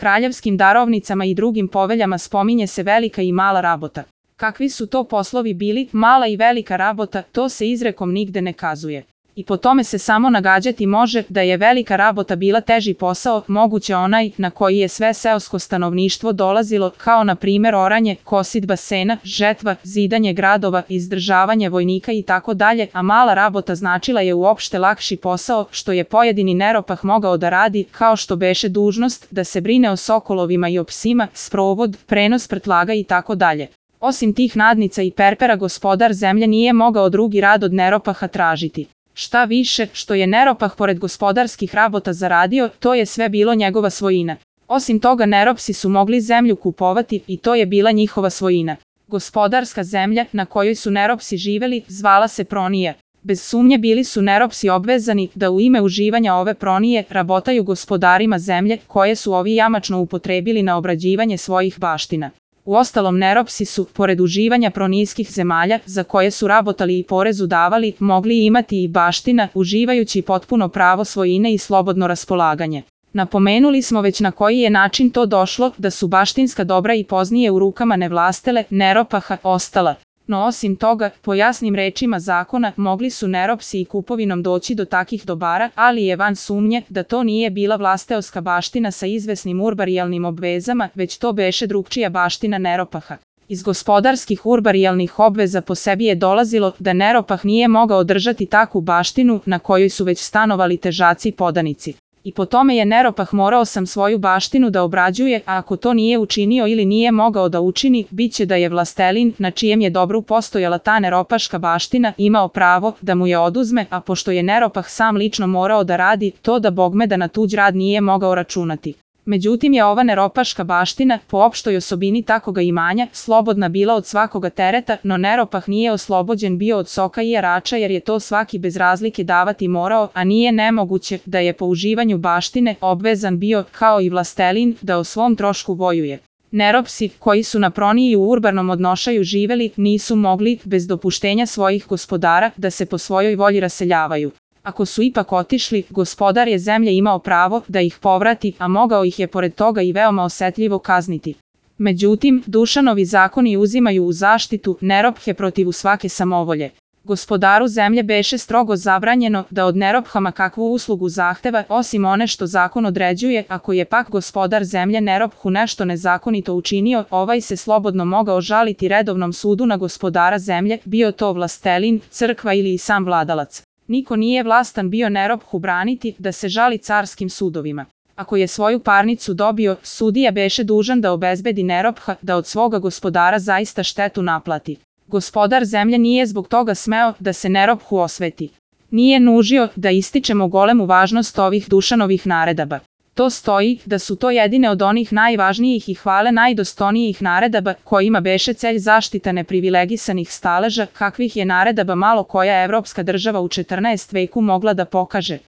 kraljevskim darovnicama i drugim poveljama spominje se velika i mala rabota. Kakvi su to poslovi bili, mala i velika rabota, to se izrekom nigde ne kazuje. I po tome se samo nagađati može da je velika rabota bila teži posao, moguće onaj na koji je sve seosko stanovništvo dolazilo, kao na primjer oranje, kosidba sena, žetva, zidanje gradova, izdržavanje vojnika i tako dalje, a mala rabota značila je uopšte lakši posao, što je pojedini neropah mogao da radi, kao što beše dužnost da se brine o sokolovima i o psima, sprovod, prenos prtlaga i tako dalje. Osim tih nadnica i perpera gospodar zemlje nije mogao drugi rad od neropaha tražiti. Šta više, što je neropah pored gospodarskih rabota zaradio, to je sve bilo njegova svojina. Osim toga neropsi su mogli zemlju kupovati i to je bila njihova svojina. Gospodarska zemlja na kojoj su neropsi živeli zvala se pronija. Bez sumnje bili su neropsi obvezani da u ime uživanja ove pronije rabotaju gospodarima zemlje koje su ovi jamačno upotrebili na obrađivanje svojih baština. Uostalom neropsi su, pored uživanja pronijskih zemalja, za koje su rabotali i porezu davali, mogli imati i baština, uživajući potpuno pravo svojine i slobodno raspolaganje. Napomenuli smo već na koji je način to došlo, da su baštinska dobra i poznije u rukama nevlastele, neropaha, ostala. No osim toga, po jasnim rečima zakona, mogli su neropsi i kupovinom doći do takih dobara, ali je van sumnje da to nije bila vlasteoska baština sa izvesnim urbarijalnim obvezama, već to beše drugčija baština neropaha. Iz gospodarskih urbarijalnih obveza po sebi je dolazilo da neropah nije mogao držati takvu baštinu na kojoj su već stanovali težaci i podanici. I po tome je neropah morao sam svoju baštinu da obrađuje, a ako to nije učinio ili nije mogao da učini, bit će da je vlastelin, na čijem je dobru postojala ta neropaška baština, imao pravo da mu je oduzme, a pošto je neropah sam lično morao da radi, to da bogme da na tuđ rad nije mogao računati. Međutim je ova neropaška baština, po opštoj osobini takoga imanja, slobodna bila od svakoga tereta, no neropah nije oslobođen bio od soka i jarača jer je to svaki bez razlike davati morao, a nije nemoguće da je po uživanju baštine obvezan bio, kao i vlastelin, da o svom trošku vojuje. Neropsi, koji su na proniji u urbanom odnošaju živeli, nisu mogli, bez dopuštenja svojih gospodara, da se po svojoj volji raseljavaju. Ako su ipak otišli, gospodar je zemlje imao pravo da ih povrati, a mogao ih je pored toga i veoma osetljivo kazniti. Međutim, Dušanovi zakoni uzimaju u zaštitu nerophe protiv svake samovolje. Gospodaru zemlje beše strogo zabranjeno da od nerophama kakvu uslugu zahteva, osim one što zakon određuje, ako je pak gospodar zemlje nerophu nešto nezakonito učinio, ovaj se slobodno mogao žaliti redovnom sudu na gospodara zemlje, bio to vlastelin, crkva ili i sam vladalac. Niko nije vlastan bio nerophu braniti da se žali carskim sudovima. Ako je svoju parnicu dobio, sudija beše dužan da obezbedi neropha da od svoga gospodara zaista štetu naplati. Gospodar zemlje nije zbog toga smeo da se nerophu osveti. Nije nužio da ističemo golemu važnost ovih Dušanovih naredaba. To stoji da su to jedine od onih najvažnijih i hvale najdostojnijih naredaba kojima beše celj zaštita neprivilegisanih staleža, kakvih je naredaba malo koja evropska država u 14. veku mogla da pokaže.